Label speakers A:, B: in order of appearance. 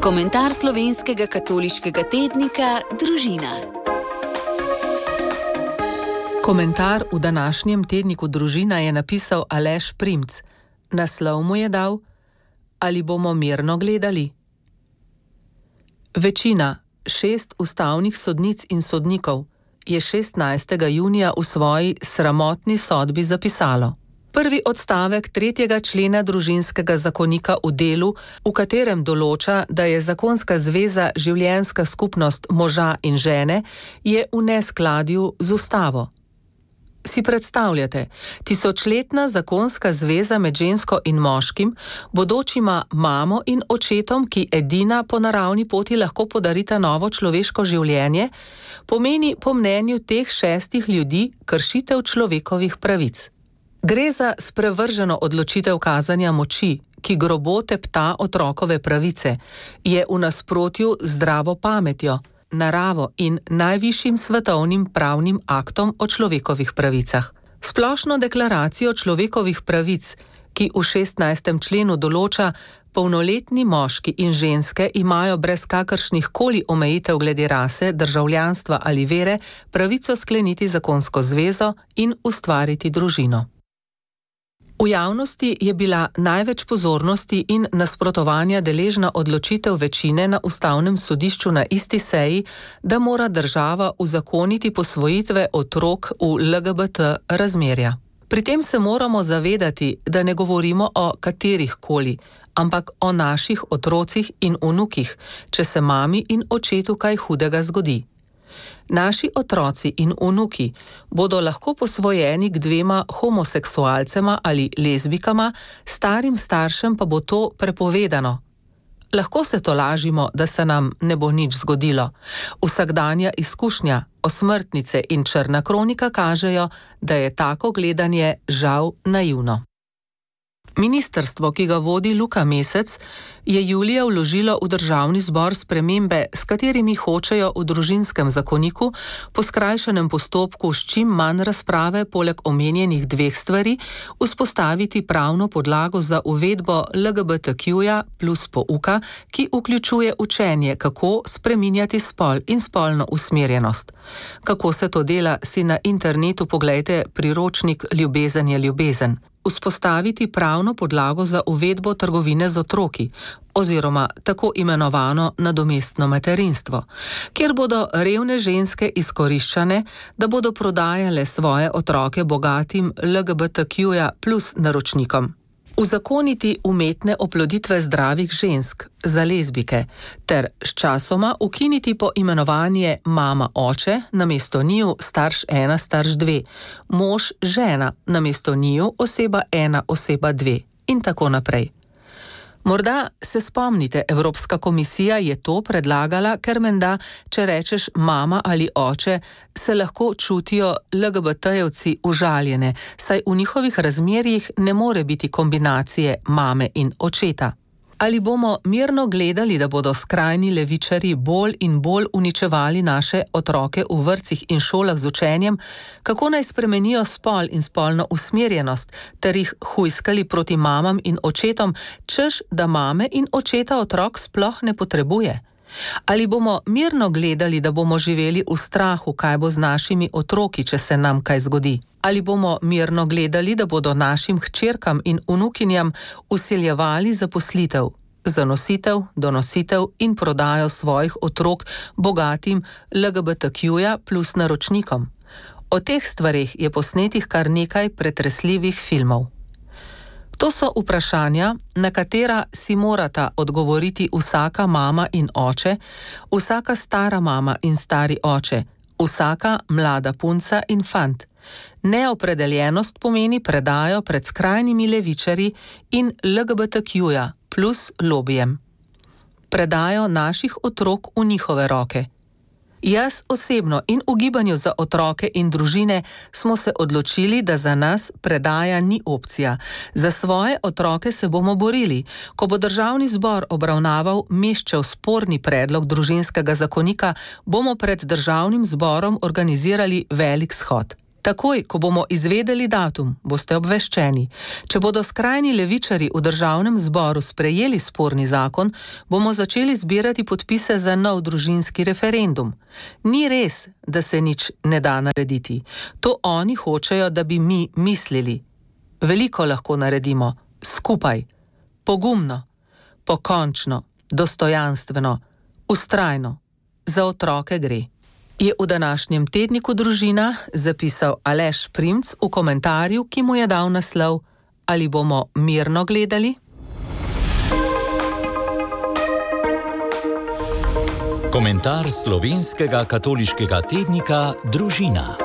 A: Komentar slovenskega katoliškega tednika Družina.
B: Komentar v današnjem tedniku Družina je napisal Aleš Primc. Naslov mu je dal: Ali bomo mirno gledali? Večina, 6 ustavnih sodnic in sodnikov, je 16. junija v svoji sramotni sodbi zapisalo: Prvi odstavek 3. člena Družinskega zakonika v delu, v katerem določa, da je zakonska zveza življenjska skupnost moža in žene, je v neskladju z ustavo. Si predstavljate, tisočletna zakonska zveza med žensko in moškim, bodočima mamo in očetom, ki edina po naravni poti lahko podarita novo človeško življenje, pomeni po mnenju teh 6 ljudi kršitev človekovih pravic. Gre za sprevrženo odločitev kazanja moči, ki grobo tepta otrokove pravice, je v nasprotju z zdravo pametjo, naravo in najvišjim svetovnim pravnim aktom o človekovih pravicah. Splošno deklaracijo človekovih pravic, ki v 16. členu določa, polnoletni moški in ženske imajo brez kakršnih koli omejitev glede rase, državljanstva ali vere pravico skleniti zakonsko zvezo in ustvariti družino. V javnosti je bila največ pozornosti in nasprotovanja deležna odločitev večine na Ustavnem sodišču na isti seji, da mora država uzakoniti posvojitve otrok v LGBT razmerja. Pri tem se moramo zavedati, da ne govorimo o katerih koli, ampak o naših otrocih in vnukih, če se mami in očetu kaj hudega zgodi. Naši otroci in vnuki bodo lahko posvojeni k 2 homoseksualcema ali lezbikama, starim staršem pa bo to prepovedano. Lahko se tolažimo, da se nam ne bo nič zgodilo. Vsakdanja izkušnja, osmrtnice in črna kronika kažejo, da je tako gledanje žal naivno. Ministrstvo, ki ga vodi Luka Mesec, je julija vložilo v državni zbor spremembe, s katerimi hočejo v družinskem zakoniku po skrajšanem postopku s čim manj razprave poleg omenjenih 2 stvari vzpostaviti pravno podlago za uvedbo LGBTQ-ja plus pouka, ki vključuje učenje, kako spreminjati spol in spolno usmerjenost. Kako se to dela, si na internetu poglejte priročnik Ljubezen je ljubezen. Vzpostaviti pravno podlago za uvedbo trgovine z otroki oziroma tako imenovano nadomestno materinstvo, kjer bodo revne ženske izkoriščane, da bodo prodajale svoje otroke bogatim LGBTQ-ja plus naročnikom. Uzakoniti umetne oploditve zdravih žensk za lezbike ter sčasoma ukiniti poimenovanje mama-oče namesto njiju starš 1, starš 2, mož-žena namesto njiju oseba 1, oseba 2 in tako naprej. Morda se spomnite, Evropska komisija je to predlagala, ker menda, če rečeš mama ali oče, se lahko čutijo LGBT-jevci užaljene, saj v njihovih razmerjih ne more biti kombinacije mame in očeta. Ali bomo mirno gledali, da bodo skrajni levičarji bolj in bolj uničevali naše otroke v vrtcih in šolah z učenjem, kako naj spremenijo spol in spolno usmerjenost, ter jih hujskali proti mamam in očetom, češ da mame in očeta otrok sploh ne potrebuje? Ali bomo mirno gledali, da bomo živeli v strahu, kaj bo z našimi otroki, če se nam kaj zgodi? Ali bomo mirno gledali, da bodo našim hčerkam in vnukinjam vsiljevali zaposlitev, zanositev, donositev in prodajo svojih otrok bogatim LGBTQ-ja plus naročnikom? O teh stvareh je posnetih kar nekaj pretresljivih filmov. To so vprašanja, na katera si morata odgovoriti vsaka mama in oče, vsaka stara mama in stari oče, vsaka mlada punca in fant. Neopredeljenost pomeni predajo pred skrajnimi levičarji in LGBTQ-ja plus lobijem. Predajo naših otrok v njihove roke. Jaz osebno in v Gibanju za otroke in družine smo se odločili, da za nas predaja ni opcija. Za svoje otroke se bomo borili. Ko bo državni zbor obravnaval Meščev sporni predlog družinskega zakonika, bomo pred državnim zborom organizirali velik shod. Takoj, ko bomo izvedeli datum, boste obveščeni. Če bodo skrajni levičari v državnem zboru sprejeli sporni zakon, bomo začeli zbirati podpise za nov družinski referendum. Ni res, da se nič ne da narediti. To oni hočejo, da bi mi mislili. Veliko lahko naredimo, skupaj, pogumno, pokončno, dostojanstveno, vztrajno. Za otroke gre. Je v današnjem tedniku Družina zapisal Aleš Primc v komentarju, ki mu je dal naslov: Ali bomo mirno gledali?
C: Komentar slovenskega katoliškega tednika Družina.